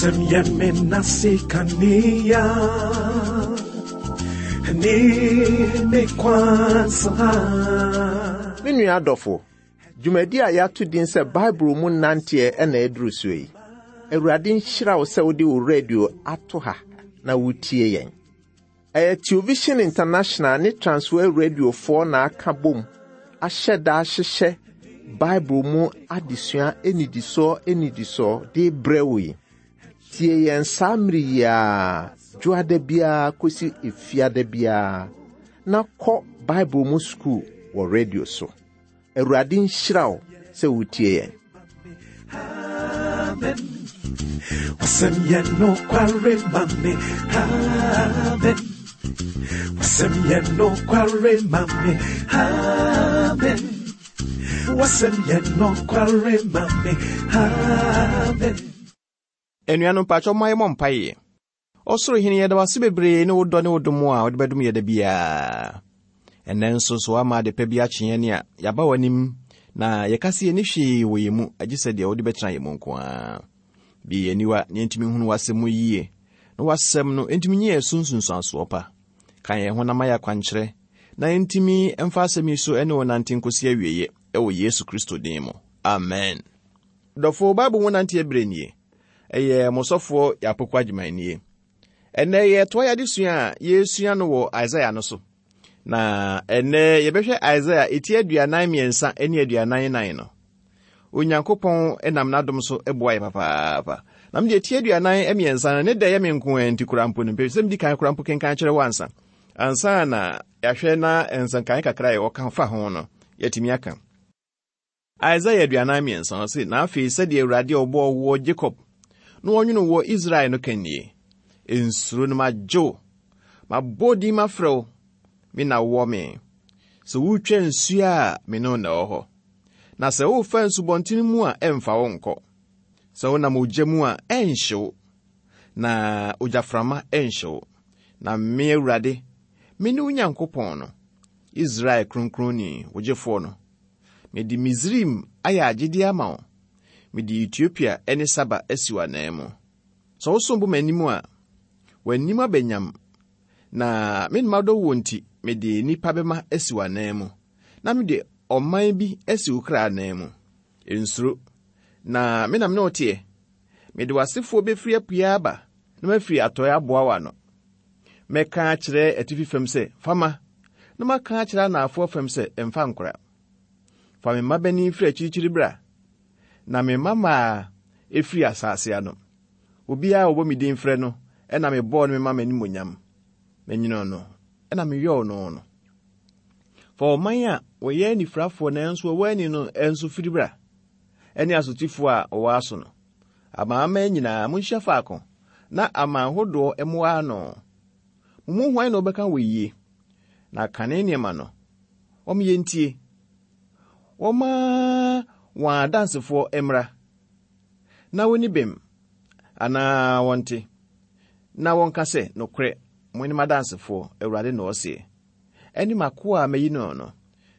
Wasɛm yɛ me nase kanea ne me kwan so ha. Me nua adɔfo, dwumadi a yɛato din sɛ Bible mu nanteɛ na aduru soɔ yi. Awurade nhyira wo sɛ wode wo radio ato ha na wotie yɛn. Ɛyɛ Television International ne Transworld Radiofoɔ na aka bom ahyɛ da ahyehyɛ Bible mu adesua nnidisoɔ nnidisoɔ de brɛ wo yi. Tie yɛn saa mmere yi ara, dwoada biara kɔsi efiada biara, na kɔ Bible mu sukuu wɔ radio so. Awurade nhyira wo sɛ wotie yɛn. Amen. Wasɛm yɛ nokware ma me. Amen. Wasɛm yɛ nokware ma me. Amen. Wasɛm yɛ nokware ma me. Amen. Anuanom mpakyɛw momma yɛmmɔ mpaeɛ. Ɔsoro Hene, yɛda wo ase bebree ne wo dɔ ne wo dom a wode bɛdom yɛ da biara. Ɛnnɛ nso so woama adepa bi akye yɛn a yɛaba w'anim na yɛka sɛ yɛnni hwee wɔ yɛn mu agye sɛ deɛ wode bɛtena yɛn mu nko ara. Bue yɛn aniwa na yɛntumi nhunu w'asɛm mu yie na w'asɛm no ntumi nyɛ yɛn so nsunsuansoɔ pa. Ka yɛn ho na ma yɛ akwankyerɛ na yɛntumi mfa asɛm yi so ne wo nante nkɔsi awieeɛ wɔ Yesu Kristo din mu. Amen. Dɔfo, Bible mu nanteɛ berɛ nie. Ɛyɛ mo sɔfoɔ Yapoku Agyeman nie. Ɛnnɛ yɛretoa yɛn adesua a yɛresua no wɔ Isaiah no so. Na ɛnnɛ yɛbɛhwɛ Isaiah eti 43 ne 44 no. Onyankopɔn nam n'adom so boa yɛ papaapa. Na mede eti 43 no ne dɛ yɛ me nko ara nti koraa mpo no mpɛ sɛ medi kan koraa mpo kenkan kyerɛ wo ansa. Ansa na yɛahwɛ na nsɛnkae kakra a yɛwɔ fa ho no yɛatumi aka. Isaia 43, ɔse, Na afei sɛdeɛ Awurade a ɔbɔɔ woɔ Jacob, na ɔnwonoo woɔ Israel no ka nie, Nsuro no magye wo, mabɔ wo din mafrɛ wo, me na wowɔ me. Sɛ woretwa nsuo a, me ne wo na ɛwɔ hɔ, na sɛ worefa nsubɔntene mu a, ɛmfa wo nkɔ. Sɛ wonam ogya mu a, ɛnhye wo, na ogyaframa ɛnhye wo. Na me Awurade, mene wo Nyankopɔn no, Israel Kronkronni, wo Gyefoɔ no. Mede Misraim ayɛ agyedeɛ ama wo, mede Etiopia ne Saba asi w'ananmu. Sɛ wosom bo m'anim a, w'anim aba nyam, na me na madɔ woɔ nti, mede nnipa bɛma asi w'ananmu, na mede ɔman bi asi wo kra ananmu. Nsuro, na me na me ne wo teɛ. Mede w'asefoɔ bɛfiri apueɛ aba, na mafiri atɔeɛ aboa wo ano. Mɛka akyerɛ atifi fam sɛ, 'Fa ma! Na maka akyerɛ anaafoɔ fam sɛ, 'Mfa nkora. Fa me mmabanin firi akyirikyiri bra, na me mmammaa firi asase ano. Obiara a wɔbɔ me din frɛ no na mebɔɔ no mema m'animuonyam. Menwonoo no na meyɔɔ no no. Fa ɔman a wɔyɛ anifirafoɔ nanso wɔwɔ ani no nso firi bra, ne asotifoɔ a wɔwɔ aso no. Amanaman nyinaa, monhyia faako, na aman hodoɔ mmoa ano. Mo mu hwan na ɔbɛka wɔ yie? Na kane nneɛma no, wɔn yɛntie. Wɔmma wɔn adansefoɔ mmra, na wɔnni bem, anaa wɔnte, na wɔnka sɛ, Nokorɛ, mo ne m'adansefoɔ, Awurade na ɔseɛ, ɛne m'akoa a mayi no no,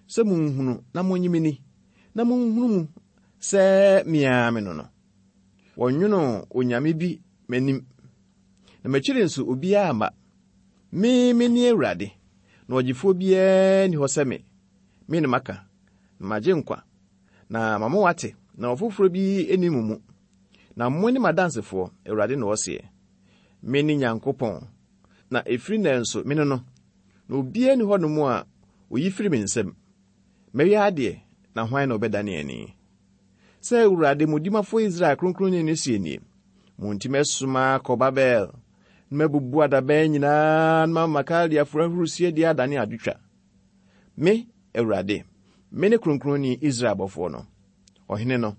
sɛ monhunu na monnye me ni, na monhunu mu sɛ me ara me no no. Wɔnnwonoo onyame bi m'anim, na m'akyiri nso obiara mma. Me, mene Awurade, na ɔgyefoɔ biara nni hɔ sɛ me. Me na maka, na magye nkwa, na mama wɔate, na ɔfoforɔ bi nni mo mu. Na mo ne m'adansefoɔ, Awurade na ɔseɛ. Mene Nyankopɔn, na ɛfiri nnɛ nso mene no, na obiara nni hɔnom a ɔyi firi me nsam. Mɛyɛ adeɛ, na hwan na ɔbɛdane ani? Sɛ Awurade mo Dimafo Israel Kronkronni no seɛ nie, Mo nti mɛsoma akɔ Babel, na mabubu adaban nyinaa na mama Kaldeafo ahurisie deɛ adane adwotwa. Me, Awurade, mene Kronkronni Israel bɔfoɔ no, Ɔhene no.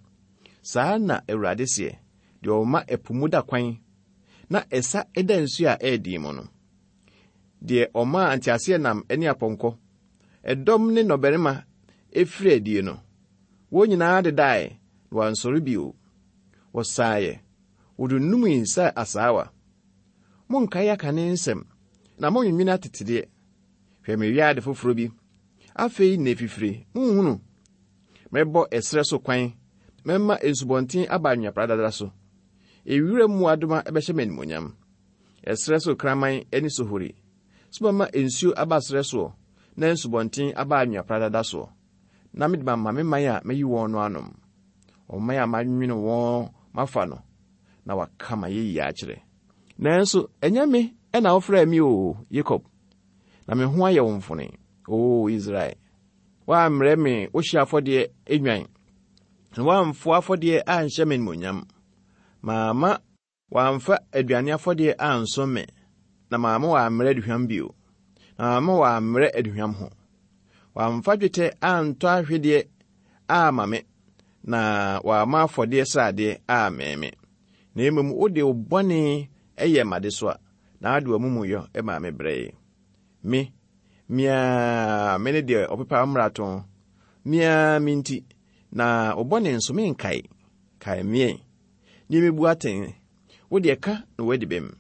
Saa na Awurade seɛ, deɛ ɔma ɛpo mu da kwan, na ɛsa da nsuo a ɛyɛ den mu no, deɛ ɔmaa nteaseɛnam ne apɔnkɔ, ɛdɔm ne nnɔbarima firii adie no, wɔn nyinaa dedae na wɔansɔre bio. Wɔsaeɛ, wɔdunnumii sɛ asaawa. Monkae akane nsɛm, na monnwennwene atetedeɛ. Hwɛ, mereyɛ ade foforɔ bi. Afei na ɛfifire, monhunu? Mɛbɔ ɛserɛ so kwan, mɛma nsubɔnten aba anwea pradada so. Ewira mmoadoma bɛhyɛ me animuonyam. Ɛserɛ so kraman ne sohori. So mɛma nsuo aba serɛ soɔ na nsubɔnten aba anwea pradada soɔ, na mede mama me man a mayi wɔn no anom, ɔman a manwene wɔn mafa no, na wɔaka m'ayɛyie akyerɛ. Nanso ɛnyɛ me na wofrɛɛ me, O Yakob, na me ho ayɛ wo mfone, O Israel. Woammrɛ me wo hyeɛ afɔdeɛ nnwan, na woamfoa afɔdeɛ anhyɛ me animuonyam. Mamma wɔamfa aduane afɔdeɛ ansom me, na mamma wɔammrɛ aduhwam bio, na mamma wɔammrɛ aduhwam ho. Wɔamfa dwetɛ antɔ ahwedeɛ amma me, na wɔamma afɔdeɛ sradeɛ ammee me. Na mmom wode wo bɔne yɛɛ m'adesoa, na wode w'amumuyɔ maa me brɛe. Me, me ara mene deɛ ɔpepa wo mmarato, me ara me nti, na wo bɔne nso menkae. Kae me ɛ, na mmebu atɛn, wo deɛ ka na woadi bem.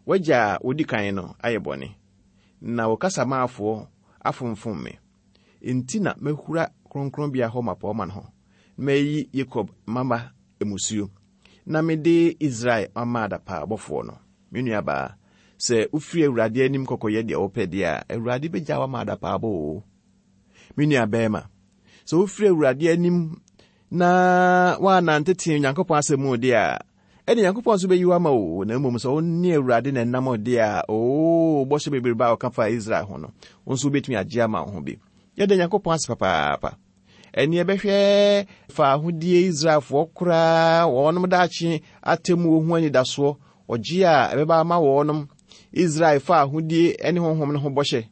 W'agya a odi kan no ayɛ bɔne, na wo kasamaafoɔ afomfom me. Enti na mahura kronkronbea hɔ mmapɔmma no ho, na mayi Yakob mma mmusuo, na mede Israel mama adapaabɔfoɔ no. Me nuabaa, sɛ wofiri Awurade anim kɔkɔyɛ deɛ wopɛ deɛ a, Awurade bɛgya wo ama adapaabɔ oo. Me nuabarima, sɛ wofiri Awurade anim na woannante tee Onyankopɔn asɛm mu deɛ a, ɛne Nyankopɔn nso bɛyi wo ama o, na mmom sɛ wo ne Awurade na ɛnam deɛ a, oo, bɔhyɛ bebrebe a ɔka faa Israel ho no, wo nso wobɛtumi agye ama wo ho bi. Yɛda Nyankopɔn ase papaapa. Ɛne ɛbɛhwɛ fa ahodie Israelfoɔ koraa wɔnom daakye atemmuo ho anidasoɔ, ɔgye a ɛbɛba ama wɔnom, Israel fa ahodie ne honhom no ho bɔhyɛ.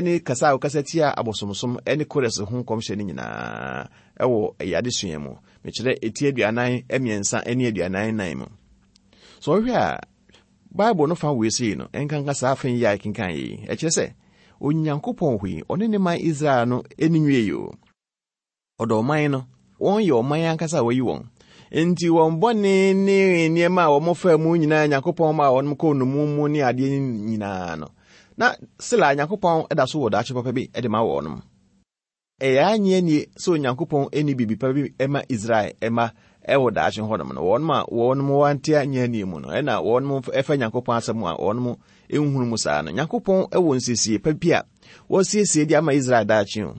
ne kasa a wɔkasa tia abosomsom ne Kores ho nkɔmhyɛ no nyinaa wɔ ɛyɛ adesua mu. Mekyerɛ eti 43 ne 44 mu. So ɔhwɛ a, Bible no fa wei sei no, ɛnkanka saa afei yi a ɛkenkan yi, ɛkyerɛ sɛ Onyankopɔn hɔ yi, ɔne ne man Israel no ani nwie yi o. Ɔdɔ ɔman no. Wɔn yɛ ɔman ankasa a wɔayi wɔn. Enti wɔn bɔne ne nneɛma a wɔfaa mu nyinaa Nyankopɔn maa wɔn kɔɔ nnommum mu ne adeɛ nyinaa no, na sela Nyankopɔn da so wɔ daakye papa bi de ma wɔn. Ɛyɛ annye annie sɛ Onyankopɔn nni biribi pa bi ma Israel mma wɔ daakye hɔnom no. Wɔn a wɔn wɔante annye annie mu no, ɛna wɔn ɛfa Nyankopɔn asɛm a wɔn nhunu mu saa no. Nyankopɔn wɔ nsiesie pa bi a wɔasiesie de ama Israel daakye o.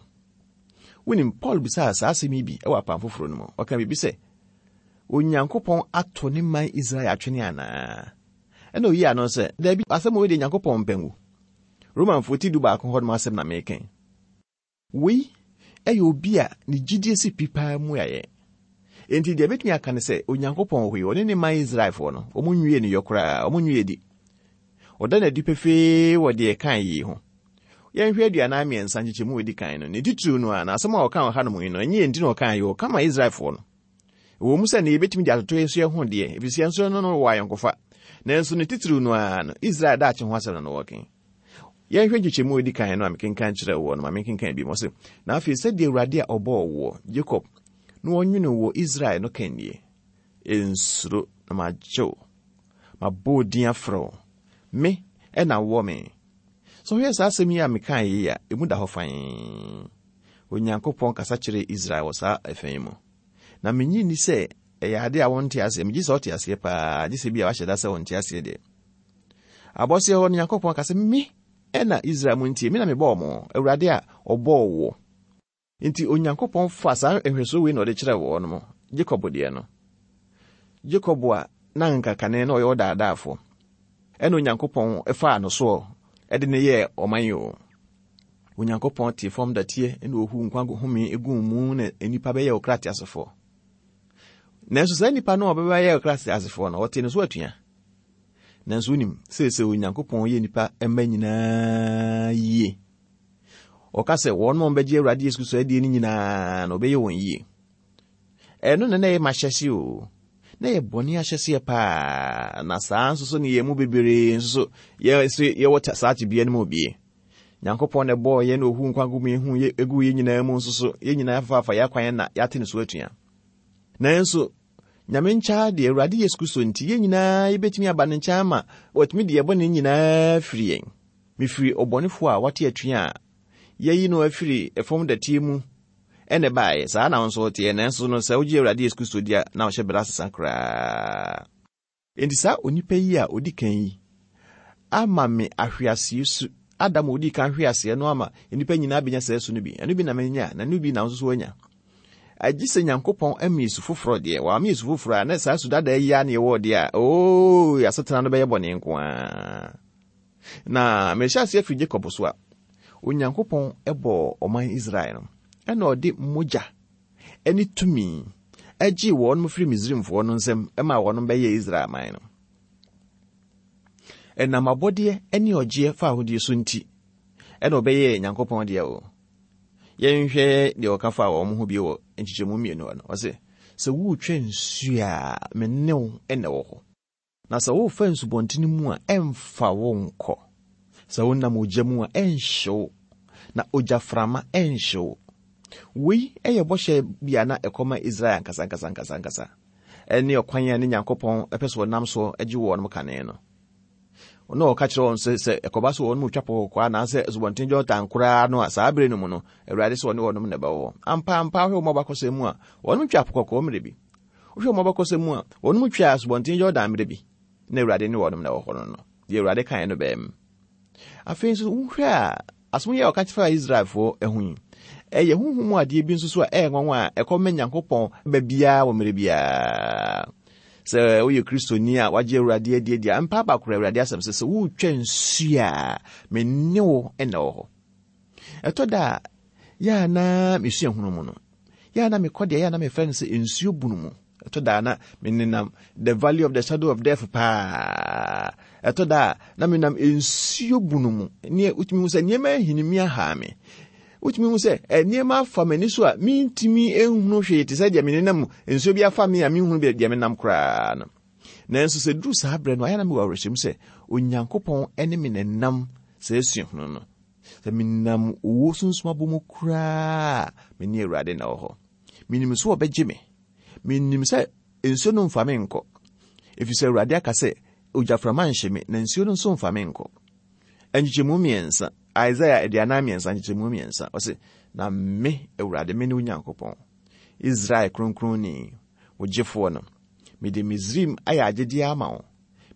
Wonim, Paul bisaa saa asɛm yi bi wɔ Apam Foforo no mu. Ɔka biribi sɛ, Onyankopɔn ato ne man Israel atwene anaa? Ɛna oyii ano sɛ, Dabi, asɛm wei deɛ Nyankopɔn mpɛ ngu. Romanfoɔ ti 11 hɔ nom asɛm na meka yi. Wei yɛ obi a ne gyidie si pi paa mu ayɛ. Enti deɛ ɛbɛtumi aka ne sɛ, Onyankopɔn wɔ hɔ yi, ɔne ne man Israelfoɔ no, wɔn nwie ne yɔ koraa, wɔn nwie di. Ɔda no adi pefee wɔ deɛ ɛkae yi ho. Yɛnhwɛ 43 nkyekyɛmu a ɛdi kan no. Ne titiriw no a, na asɛm a ɔka wɔ hanom yi no, ɛnyɛ yɛn nti na ɔkae yi, ɔka ma Israelfoɔ no. Ɛwɔ mu sɛ ne yɛbɛtumi de atoto yɛn nso yɛn ho deɛ, ɛfiri sɛ yɛn nso no no wɔ ayɔnkofa. Nanso ne titiriw no ara no, Israel daakye ho asɛm na na wɔreka. Yɛnhwɛ nkyekyɛmu a ɛdi kan no a mekenkan kyerɛɛ woɔ no, ma menkenkan bi. Ɔse, Na afei sɛdeɛ Awurade a ɔbɔɔ woɔ, Jacob, na ɔnwene wɔ Israel no ka nie, Nsuro, na magye wo. Mabɔ wo din afrɛ wo. Me na wowɔ me. Sɛ wohwɛ saa asɛm yi a mekae yi a, emu da hɔ fann. Onyankopɔn kasa kyerɛɛ Israel wɔ saa ɛfã yi mu. Na minnye nni sɛ ɛyɛ ade a wɔnte aseɛ. Megye sɛ wɔte aseɛ paa, gye sɛ bi a wahyɛ da sɛ wɔnte aseɛ deɛ. Abɔseɛ hɔ no, Nyankopɔn ka sɛ, Me na Israel mo ntie, me na mebɔɔ mo, Awurade a ɔbɔɔ woɔ. Enti Onyankopɔn faa saa nhwɛsoɔ wei na ɔde kyerɛɛ wɔn mo, Jacob deɛ no. Jacob a na anka kane na ɔyɛ ɔdaadaafoɔ, ɛna Onyankopɔn faa no soɔ de no yɛɛ ɔman yi o. Onyankopɔn tee fam dɔteɛ na ɔhuu nkwa home guu mu na nnipa bɛyɛɛ ɔkra teasefoɔ. Nanso saa nnipa no a wɔbɛyɛ ɔkra teasefoɔ no, wɔtee no so atua. Nanso wonim, seesei Onyankopɔn yɛ nnipa mma nyinaa yie. Ɔka sɛ wɔn a wɔbɛgye Awurade Yesu Kristo adie no nyinaa na ɔbɛyɛ wɔn yie. Ɛno na na ɛyɛ m'ahyɛseɛ o. Na ɛyɛ bɔne ahyɛseɛ paa. Na saa nso so ne yɛn mu bebree nso so yɛ nso yɛwɔ saa tebea no mu bie. Nyankopɔn na ɛbɔɔ yɛn na ohu nkwa gu mu hu yɛ egu yɛn nyinaa mu nso so yɛn nyinaa fafaafa yɛn akwan na yɛate ne so atua. Nanso Nyame nkyɛn deɛ Awurade Yesu Kristo nti yɛn nyinaa yɛbɛtumi aba ne nkyɛn ama watumi de yɛn bɔne nyinaa firi yɛn. Mefiri ɔbɔnefoɔ a wate atua a yɛayi no afiri fam dɛteɛ mu ɛna ɛbaeɛ. Saa na wo nso woteɛ. Nanso no, sɛ wogye Awurade Yesu Kristo di a, na wo hyɛberɛ asesa koraa. Enti saa onipa yi a ɔdi kan yi ama me ahweaseɛ su. Adam a ɔdii kan hwe aseɛ no ama nnipa nyinaa bɛnya saa su no bi. Ɛno bi na manya, na ɛno bi na wo nso so woanya. Agye sɛ Nyankopɔn ama yɛ su foforɔ deɛ, wamma yɛ su foforɔ a, na saa su dada yi ara na yɛwɔ deɛ a, oo, asetena no bɛyɛ bɔne nko ara. Na mehyɛ aseɛ firi Jacob so a, Onyankopɔn bɔɔ ɔman Israel no, ɛna ɔde mogya ne tumi gyee wɔn firi Misraimfoɔ no nsam maa wɔn bɛyɛɛ Israel man no. Ɛnam abɔdeɛ ne ɔgyeɛ fa ahodie so nti, ɛna ɔbɛyɛɛ Nyankopɔn deɛ o. Yɛnhwɛ deɛ ɔka fa wɔn ho bio wɔ nkyekyɛmu mmienu hɔ no. Ɔse, sɛ woretwa nsuo a, me ne wo na ɛwɔ hɔ. Na sɛ worefa nsubɔntene mu a, ɛmfa wo nkɔ. Sɛ wonam ogya mu a, ɛnhye wo, na ogyaframa ɛnhye wo. Wei yɛ bɔhyɛ bi a na ɛkɔma Israel ankasa ankasa ankasa ankasa, ɛne ɔkwan a ne Nyankopɔn pɛ sɛ ɔnam so gye wɔn kane no. Na ɔka kyerɛ wɔn sɛ sɛ ɛkɔba sɛ wɔn mu twa po kɔkɔɔ anaasɛ asubɔnten Jordan koraa no a, saa bere no mu no, Awurade sɛ ɔne wɔn na ɛbɛwɔ hɔ. Ampa ampa, wohwɛ wɔn abakɔsɛm mu a, wɔn twa po kɔkɔɔ mmerɛ bi. Wohwɛ wɔn abakɔsɛm mu a, wɔn mu twaa Asubɔnten Yordan mmerɛ bi, na Awurade ne wɔn na ɛwɔ hɔ no no. Deɛ Awurade kaeɛ no bɛɛ mu. Afei nso, wohwɛ a, asɛm yi a ɔka faa Israelfoɔ ho yi, ɛyɛ honhom mu adeɛ bi nso so a ɛyɛ nwanwa a ɛkɔma Nyankopɔn ba biara wɔ mmerɛ biara. Sɛ woyɛ Kristoni a wagye Awurade adi adi a, mpa aba kora Awurade asɛm sɛ, sɛ woretwa nsuo a, me ne wo na ɛwɔ hɔ. Ɛtɔ da a, yɛ a na me suahunu mu no, yɛ a na mekɔ deɛ yɛ a na mefrɛ no sɛ nsuo bunu mu. Ɛtɔ da a na menenam the valley of the shadow of death paa. Ɛtɔ da a na menam nsuo bunu mu. Neɛ wotumi hu sɛ nneɛma ahinimi ahaa me. Wotumi hu sɛ eh, nneɛma afa m'ani so a mentumi nhunu hwee te sɛ deɛ menenam nsuo bi afa me a menhunu deɛ menam koraa no. Nanso sɛ duru saa berɛ no, ayɛ na mewɔ awerɛhyɛmu sɛ Onyankopɔn ne me nenam saa suahunu no. Sɛ menam owuo sunsum abɔ mu koraa a, me ne Awurade na ɛwɔ hɔ. Menim sɛ ɔbɛgye me. Menim sɛ nsuo no mfa me nkɔ. Ɛfiri sɛ Awurade aka sɛ, ogyaframa nhye me, na nsuo no nso mfa me nkɔ. Nkyekyɛmu mmiɛnsa, Isaiah 43 nkyekyɛmu mmiɛnsa, ɔse, Na me, Awurade, me ne wo Nyankopɔn, Israel Kronkronni, wo Gyefoɔ no. Mede Misraim ayɛ agyedeɛ ama wo,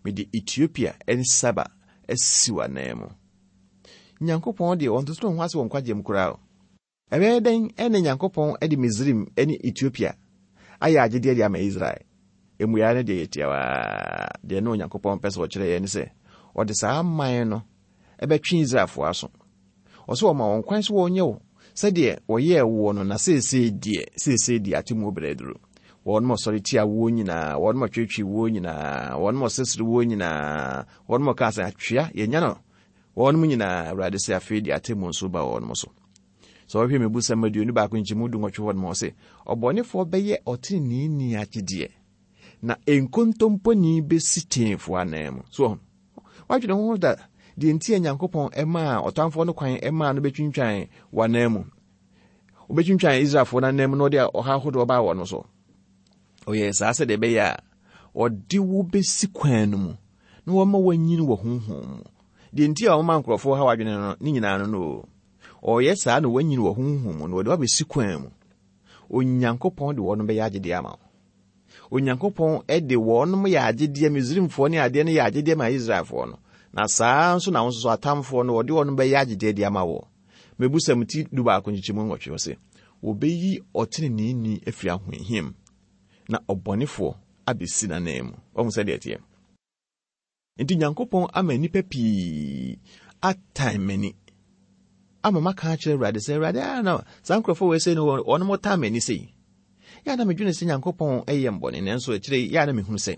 mede Etiopia ne Saba asi w'ananmu. Nyankopɔn deɛ ɔntoto ne ho ase wɔ nkwagyeɛ mu koraa o. Ɛbɛyɛ dɛn na Nyankopɔn de Misraim ne Etiopia ayɛ agyedeɛ de ama Israel? Mmuaeɛ no deɛ yɛ tiawa. Deɛ na Onyankopɔn pɛ sɛ ɔkyerɛ yɛn ne sɛ, ɔde saa aman no bɛtwe Israelfoɔ aso. Ɔsɛ ɔma wɔn kwan sɛ wɔnyɛ wo sɛdeɛ wɔyɛɛ woɔ no, na seesei deɛ, seesei deɛ atemmuo berɛ aduru. Wɔn a wɔsɔre tia woɔ nyinaa, wɔn a wɔtwetwe woɔ nyinaa, wɔn a wɔsesere woɔ nyinaa, Wɔn a wɔkaa sɛ, Atwea, yɛanya no! Wɔnom nyinaa, Awurade se, afei deɛ atemmuo nso ba wɔnom so. Sɛ wɔhwɛ Mmebusɛm 21 nkyɛmu dunwɔtwe hɔ nom a, ɔse, Ɔbɔnefoɔ bɛyɛ ɔteneneeni agyedeɛ, na nkontomponi bɛsi teefoɔ anan mu. So wɔn? Wadwene ho da deɛ nti a Nyankopɔn maa ɔtamfoɔ no kwan maa no bɛtwintwan w'anan mu? Wobɛtwintwan Israelfoɔ no anan mu na ɔde ɔhaw ahodoɔ baa wɔn so. Ɔyɛɛ saa sɛdeɛ ɛbɛyɛ a ɔde wo bɛsi kwan no mu na wama woanyini wɔ honhom mu. Deɛ nti a ɔma nkurɔfoɔ haw adwene no ne nyinaa no no ɔyɛ saa na woanyini wɔ honhom mu na ɔde woabɛsi kwan mu. Onyankopɔn de wɔn bɛyɛ agyedeɛ ama wo. Onyankopɔn de wɔn yɛ agyedeɛ, Misraimfoɔ ne adeɛ no yɛ agyedeɛ ma Israelfoɔ no. Na saa nso na wo nso so atamfoɔ no wɔde wɔn bɛyɛ agyedeɛ de ama wo. Mebusɛm ti dubaako nkyekyɛmu nwɔtwe ɔse, Wɔbɛyi ɔteneneeni afiri ahohiahia mu, na ɔbɔnefoɔ abɛsi n'ananmu. Wahu sɛdeɛ ɛteɛ? Nti Nyankopɔn ama nnipa pii atan m'ani ama maka akyerɛ Awurade sɛ, Awurade, a na saa nkurɔfoɔ wei sei no wɔn mo tan m'ani sei. Yɛ a na medwene sɛ Nyankopɔn yɛ mbɔne, nanso akyire yi yɛ a na mehunu sɛ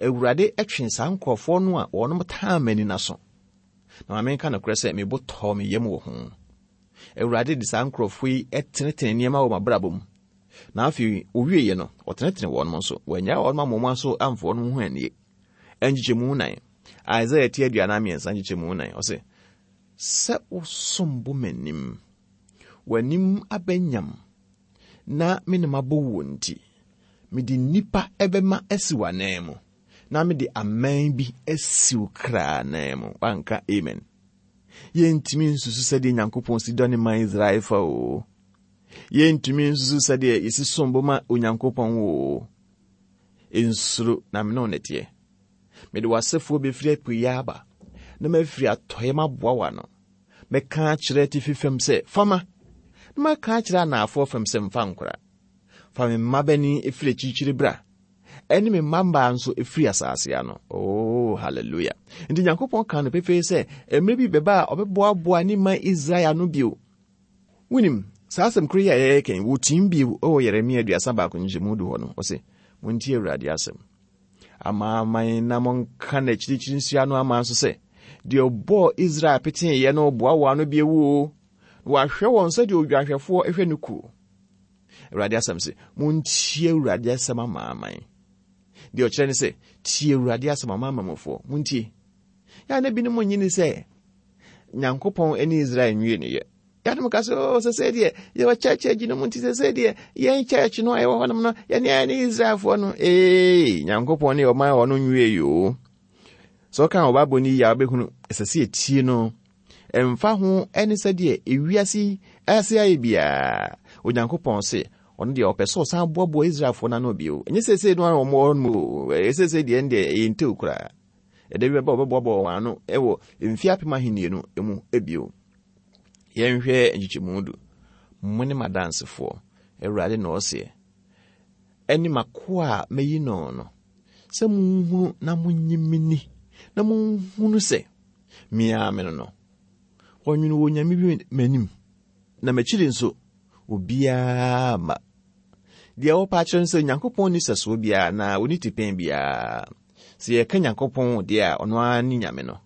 Awurade twe saa nkurɔfoɔ no a wɔn tan m'ani no aso. Na ma menka nokorɛ sɛ me bo tɔɔ me yam wɔ ho. Awurade de saa nkurɔfoɔ yi tenetene nneɛma wɔ m'abrabɔ mu. Na afei ɔwieeɛ no, ɔtenetene wɔn nso. Wannyaa wɔn amma wɔn aso amfa wɔn ho annie. Nkyekyɛmu nan. Isaiah ti 43 nkyekyɛmu nan. Ɔse, sɛ wosom bo m'anim, w'anim abɛnyam, na me ne mabɔ wuo nti, mede nnipa bɛma asi w'anan mu. Na mede aman bi asi wo kra anan mu. Wanka amen. Yɛntumi nsusu sɛdeɛ Nyankopɔn si dɔ ne man Israel fa o. Yɛntumi nsusu sɛdeɛ yɛsi som bo ma Onyankopɔn oo. Nsuro, na me ne wo na ɛteɛ. Mede w'asefoɔ bɛfiri apueeɛ aba, na mafiri atɔeɛ maboa w'ano. Mɛka akyerɛ atifi fam sɛ, 'Fa ma! Na maka akyerɛ anaafoɔ fam sɛ, 'Mfa nkora. Fa me mmabanin firi akyirikyiri bra, ɛne me mmabaa nso firi asase ano. Oh, hallelujah. Nti Nyankopɔn kaa no pefee sɛ, mmerɛ bi bɛba a ɔbɛboaboa ne man Israel ano bio. Wonim, saa asɛm koro yi a yɛyɛ kan, wɔtim bio wɔ Yeremia 31 nkyɛmu du hɔ no, ɔse, Montie Awurade asɛm. Amanaman na monka n'akyirikyiri nsuano aman so sɛ, deɛ ɔbɔɔ Israel peteeɛ no boa wɔn ano bi awu o, na wahwɛ wɔn sɛdeɛ odwanhwɛfoɔ hwɛ ne kuo. Awurade asɛm se, montie Awurade asɛm amanaman. Deɛ ɔkyerɛ ne sɛ, tie Awurade asɛm amanamanmufoɔ, montie. Yɛ na binom nye ni sɛ Nyankopɔn ne Israel nwie ne yɛ. Yɛanom ka sɛ, oh, sɛsɛ deɛ yɛwɔ church agyi no mu nti sɛsɛ deɛ yɛn church no a yɛwɔ hɔnom no yɛne ayɛ ne Israelfoɔ no. Ee, Nyankopɔn ne ɔman a ɔno nwie yoo. Sɛ ɔka wɔ Bible no yie a wobɛhunu ɛsɛ sɛ yɛtie no. Ɛmfa ho ne sɛdeɛ ewiase yi ase ayɛ biara, Onyankopɔn se ɔno deɛ ɔpɛ sɛ ɔsan boaboa Israelfoɔ no ano bio. Ɛnyɛ seesei no a wɔn wɔ no mu o, ɛyɛ seesei deɛ ɛndeɛ ɛyɛ ntew koraa. Ɛda bi bɛba wɔbɛboaboa wɔn ano wɔ mfe apem ahenni no mu bio. Yɛnhwɛ nkyekyɛmu du. Mo ne m'adansefoɔ, Awurade na ɔseɛ, ɛne m'akoa a mayi no no, sɛ monhunu na monnye me ni, na monhunu sɛ me ara me no no. Wɔnwene wɔ onyame bi m'anim, na m'akyiri nso obiara mma. Deɛ wɔpɛ akyerɛ no sɛ Onyankopɔn nni sɛsoɔ biara na ɔnni tipɛn biara. Sɛ yɛka Nyankopɔn deɛ a, ɔno ara ne Nyame no.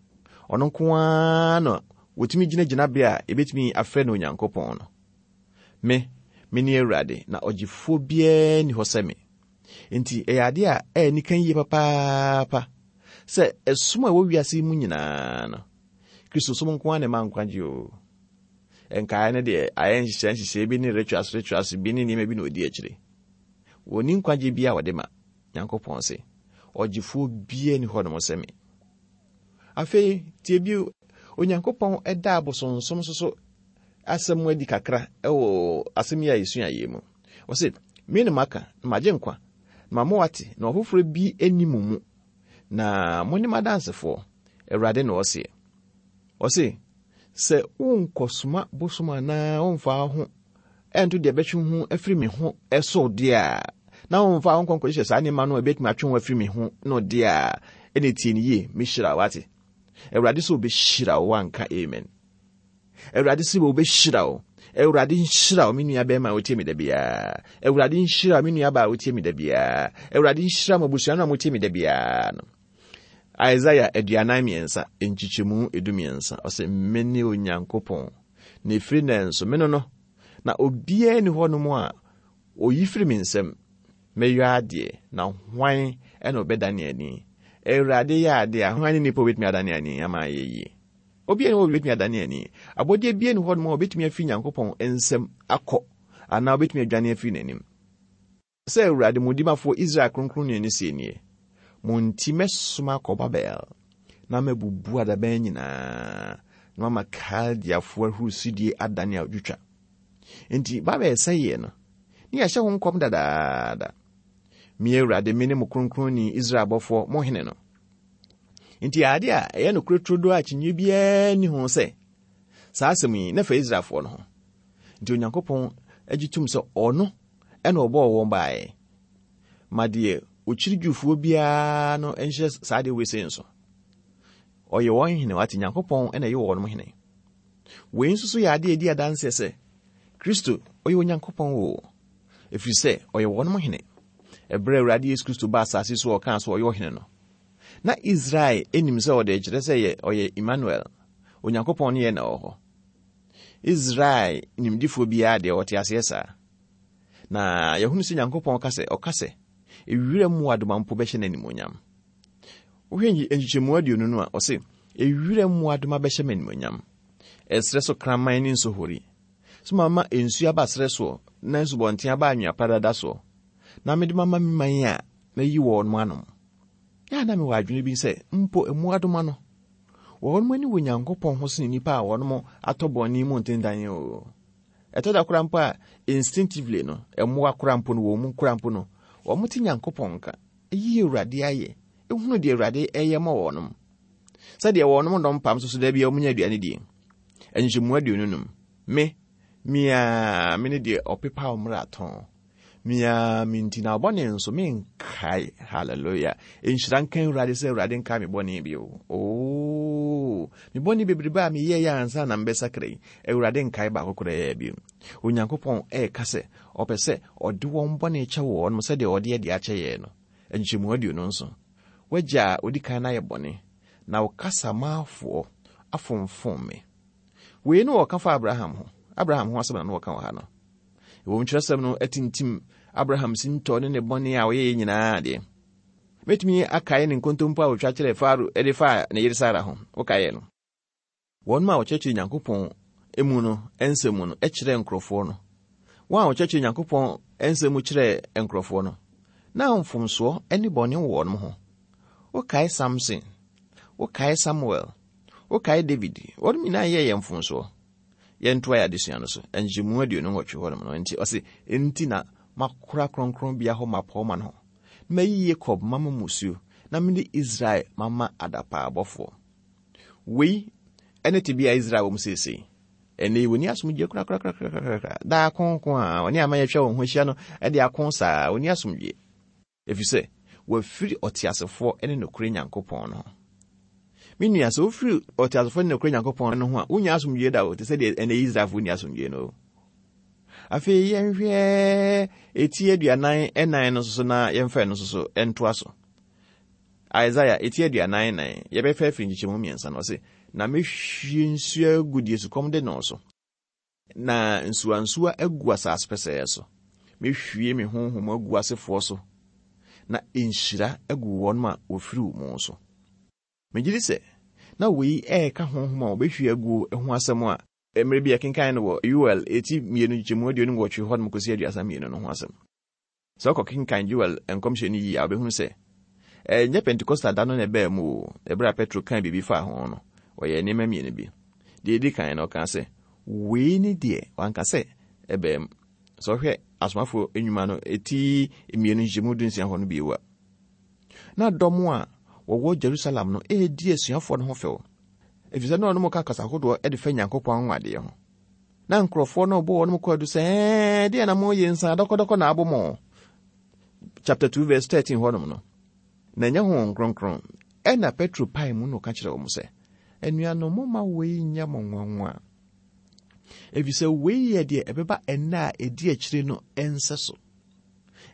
Ɔno nko ara na wɔtumi gyina gyinabea a yɛbɛtumi afrɛ no Onyankopɔn no. Me, mene Awurade, na ɔgyefoɔ biara nni hɔ sɛ me. Enti ɛyɛ adeɛ a ɛyɛ nika yie papaapa sɛ ɛsom a ɛwɔ wiase yi mu nyinaa no, Kristosom nko ara na ɛma nkwagye o. Nkaeɛ no deɛ ayɛ nhyehyɛe nhyehyɛe bi ne rituals rituals bi ne nneɛma bi na ɔdi akyire. Wɔnni nkwagye bi a wɔde ma. Nyankopɔn se, Ɔgyefoɔ biara nni hɔnom sɛ me. Afei, tie bio, Onyankopɔn da abosonsom nso so asɛm adi kakra wɔ asɛm yi a yɛsua yi mu. Ɔse, Me na maka, na magye nkwa, na mama wɔate, na ɔfoforɔ bi nni mo mu, na mo ne m'adansefoɔ, Awurade na ɔseɛ. Ɔse, sɛ wonkɔsoma bosom anaa womfa wo ho ɛnto deɛ ɛbɛtwe ho afiri me ho so deɛ a, na womfa wo nkɔnkɔhyehyɛ saa nneɛma no a ɛbɛtumi atwe ho afiri me ho no deɛ a, ɛne tie no yie, mehyira wo ate. Awurade sɛ ɔbɛhyira wo, wanka amen. Awurade sɛ ɔbɛhyira wo. Awurade nhyira wo, me nua bɛrima a wotie me da biara. Awurade nhyira wo, me nua baa a wotie me da biara. Awurade nhyira mo abusua no a motie me da biara no. Isaiah 43 nkyekyɛmu 13 ɔsɛ mene Onyankopɔn na ɛfiri nnɛ nso me no no, na obiara nni hɔnom a oyi firi me nsam. Mɛyɔ adeɛ, na hwan na ɔbɛdane ani? Awurade yɛ adeɛ a, hwan ne nipa a ɔbɛtumi adane ani ama ayɛ yie? Obiara nni hɔ a ɔbɛtumi adane ani. Abɔdeɛ biara nni hɔnom a ɔbɛtumi afiri Nyankopɔn nsam akɔ anaa ɔbɛtumi adwane afiri n'anim. Sɛ Awurade mo dimafoɔ Israel Kronkronni no seɛ nie, Mo nti mɛsoma akɔ Babel, na mabubu adaban nyinaa, na mama Kaldeafoɔ ahurisidie adane adwotwa. Enti Babel sɛeɛ no, ne yɛahyɛ ho nkɔm dadaada. Me Awurade, mene mo Kronkronni, Israel bɔfoɔ, mo hene no. Enti ade a ɛyɛ nokorɛ turodoo a akyinnyeɛ biara nni ho sɛ, saa asɛm yi, na ɛfa Israelfoɔ no ho. Nti Onyankopɔn gye tom sɛ ɔno ɛna ɔbɔɔ wɔn baeɛ. Ma deɛ ɔkyiri Jewfoɔ biara no nhyɛ saa deɛ wei sei nso. Ɔyɛ wɔn hene, wate Nyankopɔn na ɛyɛ wɔn hene. Wei nso so yɛ adeɛ ɛdi adanseɛ sɛ Kristo ɔyɛ Onyankopɔn o, ɛfiri sɛ ɔyɛ wɔn hene. Ɛberɛ Awurade Yesu Kristo ba asase so ɔkaa so ɔyɛ ɔhene no, na Israel nim sɛ ɔde kyerɛ sɛ yɛ ɔyɛ Emmanuel, Onyankopɔn ne yɛ na ɔwɔ hɔ. Israel nimdifoɔ biara deɛ ɔte aseɛ saa. Na yɛhunu sɛ Nyankopɔn ka sɛ, ɔka sɛ, ewira mmoadoma mpo bɛhyɛ no animuonyam. Wohwɛ nkyekyɛmu 20 no a, ɔse, ewira mmoadoma bɛhyɛ me animuonyam. Ɛserɛ so kraman ne nsohori. So mama nsuo aba serɛ soɔ, na nsubɔnten aba anwea pradada soɔ, na mede mama me man a mayi wɔn anom. Yɛ a na mewɔ adwene bi sɛ, mpo mmoadoma no, wɔn ani wɔ Nyankopɔn ho sene nnipa a wɔn atɔ bɔne mu ntentan o. Ɛtɔ da koraa mpo a, instinctively no, mmoa koraa mpo no, wɔn mu koraa mpo no, wɔte Nyankopɔn nka, yi Awurade ayɛ, hunu deɛ Awurade ɛyɛ ma wɔnom. Sɛdeɛ wɔnom nnɔ mpam nso so da biara wɔnya aduane die. Nkyɛmu 25. Me, me ara, me ne deɛ ɔpepa wo mmarato. Me ara me nti na bɔne nso menkae. Hallelujah. Nhyira nka Awurade sɛ Awurade nkae me bɔne bio. Oh, me bɔne bebrebe a meyɛɛ yɛ ansa na mbɛsakra yi, Awurade nkae baako koraa bio. Onyankopɔn ɛreka sɛ ɔpɛ sɛ ɔde wɔn bɔne kyɛ wɔn sɛdeɛ ɔde ɛde akyɛ yɛn no. Nkyɛmu 27. W'agya a odi kan no ayɛ bɔne, na wo kasamafoɔ afomfom me. Wei no wɔka fa Abraham ho. Abraham ho asɛm na na wɔka wɔ ha no. Ɛwom kyerɛsɛm no atintim Abraham sintɔ ne ne bɔne a ɔyɛeɛ nyinaa deɛ. Mɛtumi akae ne nkontompo a ɔtwa kyerɛɛ Farao de faa ne yere Sara ho. Wokaeɛ no? Wɔn a wɔkyerɛkyerɛ Nyankopɔn mu no nsɛm mu no kyerɛɛ nkurɔfoɔ no. Wɔn a wɔkyerɛkyerɛ Nyankopɔn nsɛm mu kyerɛɛ nkurɔfoɔ no, na mfomsoɔ ne bɔne wɔ wɔn ho. Wokae Samson, wokae Samuel, wokae David, wɔn nyinaa yɛɛ yɛn mfomsoɔ. Yɛntoa yɛn adesua no so. Nkyɛmu 28 hɔnom no, nti ɔse, Enti na makora kronkronbea hɔ mmapɔmma no ho, na mayi Yakob mama mmusuo, na mede Israel mama adapaabɔfoɔ. Wei ne tebea a Israel wɔ mu seesei. Ɛnnɛ yi, wɔnni asomdwoeɛ korakorakorakora. Daa konko a wɔne aman atwa wɔn ho ahyia no de ako saa, wɔnni asomdwoeɛ. Ɛfiri sɛ, wɔafiri ɔteasefoɔ ne nokorɛ Nyankopɔn no ho. Me nua, sɛ wofiri ɔteasefoɔ ne nokorɛ Nyankopɔn no ho a, wonnya asomdwoeɛ da o, te sɛ deɛ ɛnnɛ Israelfoɔ nni asomdwoeɛ no o. Afei yɛnhwɛ eti 44 no nso so na yɛmfa ɛno nso so ntoa so. Isaiah, eti 44, yɛbɛfa afiri nkyekyɛmu mmiɛnsa no, ɔse, Na mɛhwie nsuo agu deɛ sukɔm de no so, na nsuwansuwa agu asase pɛsɛɛ so. Mɛhwie me honhom agu asefoɔ so, na nhyira agu wɔn a wɔfiri wo mu so. Megye di sɛ na wei ɛreka honhom a wɔbɛhwie aguo ho asɛm a mmerɛ bi yɛkenkan no wɔ Yoel eti 2 nkyekyɛmu 28 hɔ nom kɔsi 32 no ho asɛm. Sɛ wokɔkenkan Joel nkɔmhyɛ no yie a, wobɛhunu sɛ ɛnyɛ Pentekosta da no na ɛbaa mu o. Ɛberɛ a Petro kaa biribi faa ho no, ɔyɛɛ nneɛma mmienu bi. Deɛ ɛdi kan no, ɔkaa sɛ, Wei ne deɛ, wanka sɛ ɛbaa mu. Sɛ wohwɛ Asomafoɔ Nnwuma no ti mmienu nkyekyɛmu dunsia hɔ no bio a, na dɔm a wɔwɔ Jerusalem no redi asuafoɔ no ho fɛw, ɛfiri sɛ na wɔn ka kasa hodoɔ de fa Nyankopɔn anwanwadeɛ ho. Na nkurɔfoɔ no bɔ wɔn kwaadu sɛ, ɛɛ, deɛ na moyɛ nsa dɔkɔdɔkɔ na abɔ mo. Chapter 2 verse 13 hɔnom no, na ɛnyɛ Honhom Kronkron. Ɛna Petro pae mu na ɔka kyerɛ wɔn sɛ, anuanom, momma wei nyɛ mo nwanwa, ɛfiri sɛ wei yɛ deɛ ɛbɛba ɛnna a ɛdi akyire no nsɛ so.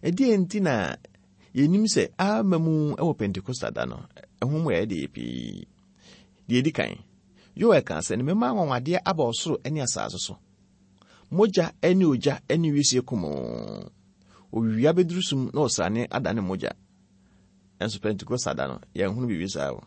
Ɛdeɛ nti na yɛnim sɛ ama mu wɔ Pentekosta da no, ɛho mu ɛyɛ deɛ pii. Deɛ ɛdi kan, Yoel kaa sɛ, Na mɛma anwanwadeɛ aba ɔsoro ne asase so, mogya ne ogya ne wisie kumoo. Owia bɛduru sum na ɔsrane adane mogya. Nanso Pentekosta da no, yɛnhunu biribi saa o.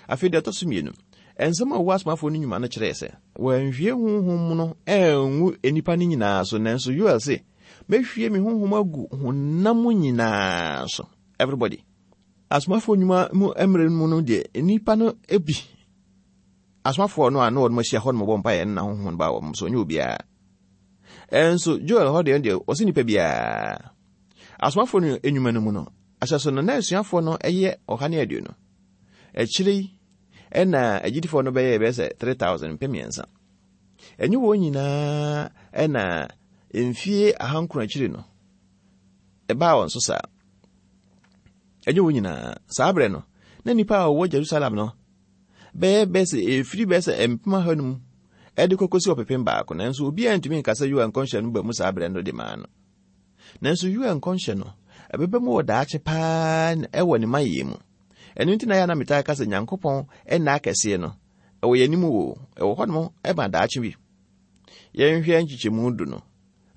Afei deɛ ɛtɔ so mmienu, nsɛm a ɛwɔ asomafoɔ no nnwuma no kyerɛɛ sɛ wɔanhwie honhom no angu nnipa no nyinaa so, nanso Yoel se, mɛhwie me honhom agu honam nyinaa so. Everybody. Asomafoɔ nnwuma mu mmerɛ mu no deɛ, nnipa no bi, asomafoɔ no a na wɔn ahyia hɔ no bɔ mpaeɛ no na honhom no baa wɔn so, ɔnyɛ obiara. Ɛnso Joel hɔ deɛ deɛ ɔsɛ nnipa biara. Asomafoɔ no nnwuma no mu no, ahyɛso no na asuafoɔ no yɛ 120. Akyire yi, ɛna agyidifoɔ no bɛyɛ bɛyɛ sɛ 3,000 3,000. Ɛnyɛ wɔn nyinaa ɛna mfie 900 akyiri no, ɛbaa wɔn so saa. Ɛnyɛ wɔn nyinaa. Saa berɛ no, na nnipa a wɔwɔ Jerusalem no bɛyɛ bɛyɛ sɛ ɛfiri bɛyɛ sɛ 500,000 ɛde kɔkɔsi 1,000,000, nanso obiara ntumi nka sɛ Yoel nkɔnhyɛ no ba mu saa berɛ no de maa no. Nanso Yoel nkɔnhyɛ no, ɛbɛba mu wɔ daakye paa ɛwɔ ne mayɛ mu. Ɛno nti na yɛ na metaa ka sɛ Nyankopɔn nna akɛseɛ no, ɛwɔ yɛn anim o, ɛwɔ hɔnom ɛma daakye bi. Yɛnhwɛ nkyekyɛmu du no.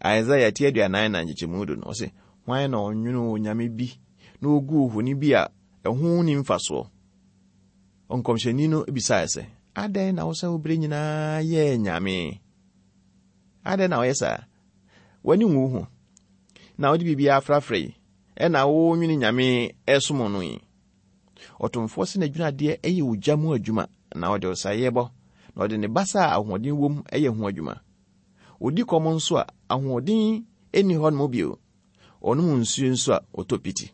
Isaiah ti 44 nkyekyɛmu du no, ɔse, Hwan na ɔnwonoo onyame bi na oguu ohoni bi a ɛho nni mfasoɔ? Ɔnkɔmhyɛni no bisae sɛ, Adɛn na wosɛ wo berɛ nyinaa yɛ anyame? Adɛn na woyɛ saa? W'ani nwu wo ho, na wode biribiara afrafra yi, ɛna wonwene nyame ɛsom no yi? Ɔtomfoɔ sɛ n'adwinadeɛ yɛ ogya mu adwuma, na ɔde ɔsaeɛ bɔ, na ɔde ne basa a ahoɔden wom yɛ ho adwuma. Ɔdi kɔm nso a, ahoɔden nni hɔ nom bio. Ɔnom nsuo nso a, ɔtɔ piti.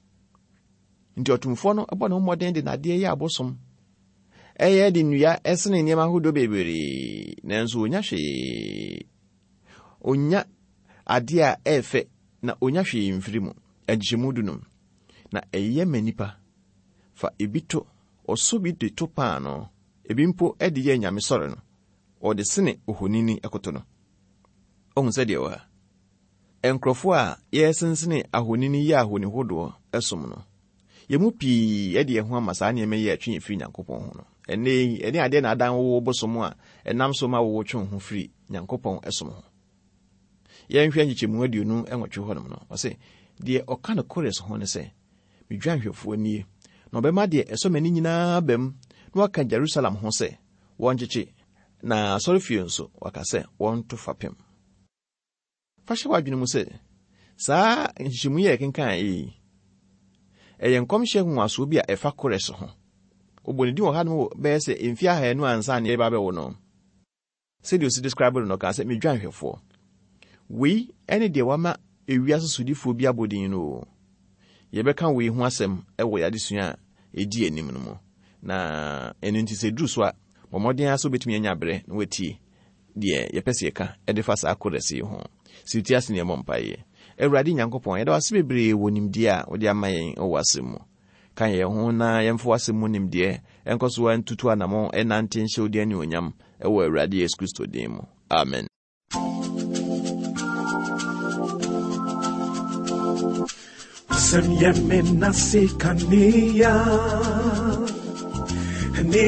Nti ɔtomfoɔ no bɔ ne ho mmɔden de n'adeɛ yɛ abosom. Ɛyɛ de nnua sene nneɛma ahodoɔ bebree, nanso ɔnya hwee. Ɔnya adeɛ a ɛyɛ fɛ na ɔnya hwee mfiri mu. Nkyekyɛmu dunum. Na ɛyɛ ma nnipa fa ebi to, ɔsɔ bi de to paanoo, ebi mpo de yɛ anyame sɔre no, ɔde sene ohonini koto no. Ohu sɛdeɛ ɛwɔ ha. Nkurɔfoɔ a yɛresensene ahonini yɛ ahoni hodoɔ som no, yɛn mu pii de yɛn ho ama saa nneɛma yi a ɛtwe yɛn firi Nyankopɔn ho no. Ɛnnɛ yi, ɛne adeɛ na adan wo bosom a ɛnam so ma wowotwe wo ho firi Nyankopɔn som ho. Yɛnhwɛ nkyekyɛmu 28 hɔnom no, ɔse, Deɛ ɔka no Kores ho ne sɛ, Me dwanhwɛfoɔ nie, na ɔbɛma deɛ ɛsɔ m'ani nyinaa aba mu, na waka Jerusalem ho sɛ, Wɔnkyekye, na asɔrefie nso, waka sɛ, Wɔnto fapem. Fa hyɛ w'adwene mu sɛ, saa nhyehyɛmu yi a yɛkenkan yi, ɛyɛ nkɔmhyɛ nwonwasoɔ bi a ɛfa Kores ho. Wɔbɔ ne din wɔ hanom wɔ bɛyɛ sɛ mfeɛ ahanu ansa na yɛreba abɛwo no. Sɛdeɛ ɔsi describe no no, ɔkaa sɛ, Me dwanhwɛfoɔ. Wei ne deɛ wama ewiase sodifoɔ bi abɔ din no o. Yɛbɛka wei ho asɛm wɔ yɛn adesua a ɛdi anim no mu. Na ɛno nti sɛ ɛduru so a, bɔ mmɔden ara sɛ wobɛtumi anya berɛ na woatie deɛ yɛpɛ sɛ yɛka de fa saa Kores yi ho. Si wo ti ase na yɛmmɔ mpaeɛ. Awurade Nyankopɔn, yɛda wo ase bebree wɔ nimdeɛ a wode ama yɛn wɔ w'asɛm mu. Ka yɛn ho na yɛmfa w'asɛm mu nimdeɛ nkɔ so ntutu anammɔn nnante nhyɛ wo din anuonyam wɔ Awurade Yesu Kristo din mu. Amen. W'asɛm yɛ me nase kanea ne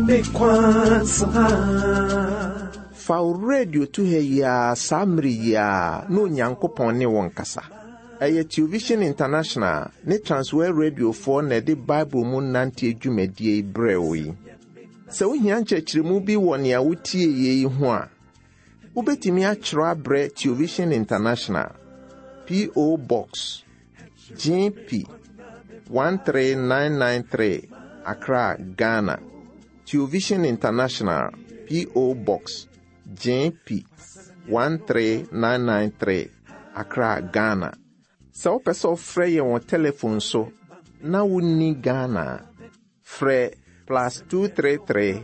me kwan saa. Fa wo radio to ha yi ara saa mmere yi ara na Onyankopɔn ne wo nkasa. Ɛyɛ Television International ne Transworld Radiofoɔ na ɛde Bible mu nanteɛ dwumadie yi brɛɛ wo yi. Sɛ wohia nkyerɛkyerɛmu bi wɔ nea wotieeɛ yi ho a, wobɛtumi atwerɛ abrɛ Television International, P.O. Box, GP 13993, Accra, Ghana. Television International, P.O. Box, GP 13993, Accra, Ghana. Sɛ wopɛ sɛ wofrɛ yɛn wɔ telefon so na wonni Ghana a, frɛ plus 233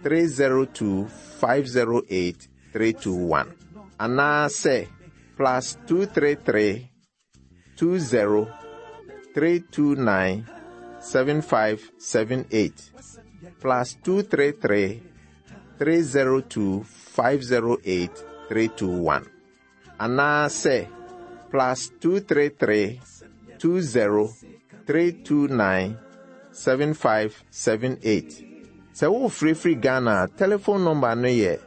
302 508 321 anaasɛ plus 233 20 329 7578 plus 233 302 508 321 anaasɛ plus 233 20 329 7578. Sɛ worefrɛ firi Ghana a, telephone number no yɛ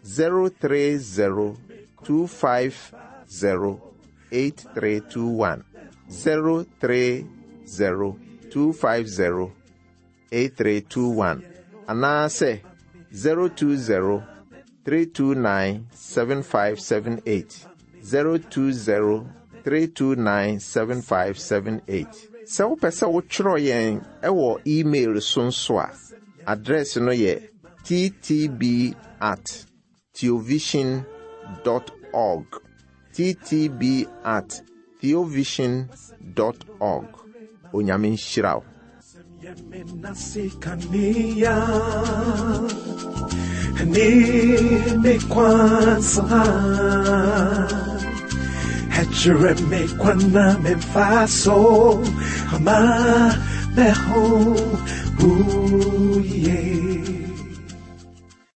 030 250 8321. 030 250 8321 anaasɛ 020 329 7578 020 329 7578. Sɛ wopɛ sɛ wotwerɛ yɛn wɔ email so nso a, address no yɛ ttb at theovision dot org ttb at theovision dot org. Onyame nhyira wo.